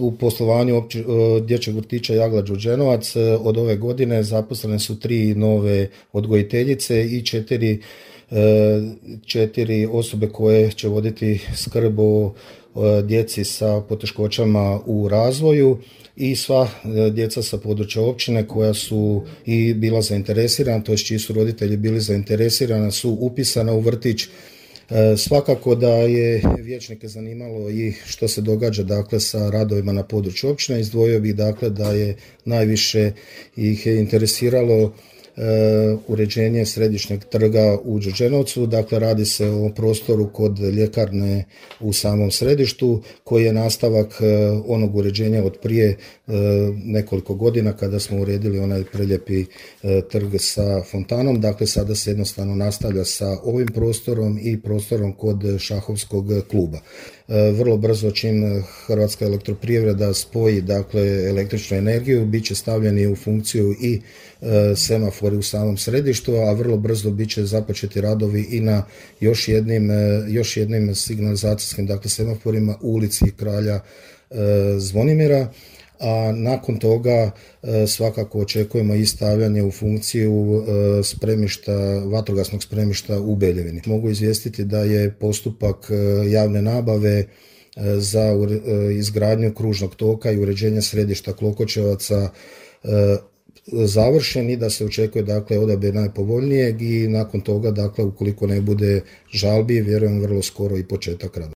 U poslovanju dječjeg vrtića Jagla Đurđenovac od ove godine zaposlene su 3 nove odgojiteljice i 4 osobe koje će voditi skrb o djeci sa poteškoćama u razvoju i sva djeca sa područja općine koja su i bila zainteresirana, to jest čiji su roditelji bili zainteresirani, su upisana u vrtić. Svakako da je vijećnike zanimalo i što se događa dakle sa radovima na području općine. Izdvojio bih dakle da je najviše ih je interesiralo uređenje središnjeg trga u Đurđenovcu. Dakle, radi se o prostoru kod ljekarne u samom središtu koji je nastavak onog uređenja od prije nekoliko godina kada smo uredili onaj prelijepi trg sa fontanom. Dakle, sada se jednostavno nastavlja sa ovim prostorom i prostorom kod šahovskog kluba. Vrlo brzo čim Hrvatska elektroprivreda spoji dakle električnu energiju, bit će stavljeni u funkciju i semafori u samom središtu, a vrlo brzo bit će započeti radovi i na još jednim signalizacijskim dakle semaforima u ulici Kralja Zvonimira. A nakon svakako očekujemo i stavljanje u funkciju vatrogasnog spremišta u Beljevini. Mogu izvijestiti da je postupak javne nabave za izgradnju kružnog toka i uređenje središta Klokočevaca završen i da se očekuje dakle odabir najpovoljnijeg i nakon toga dakle ukoliko ne bude žalbi vjerujem vrlo skoro i početak rada.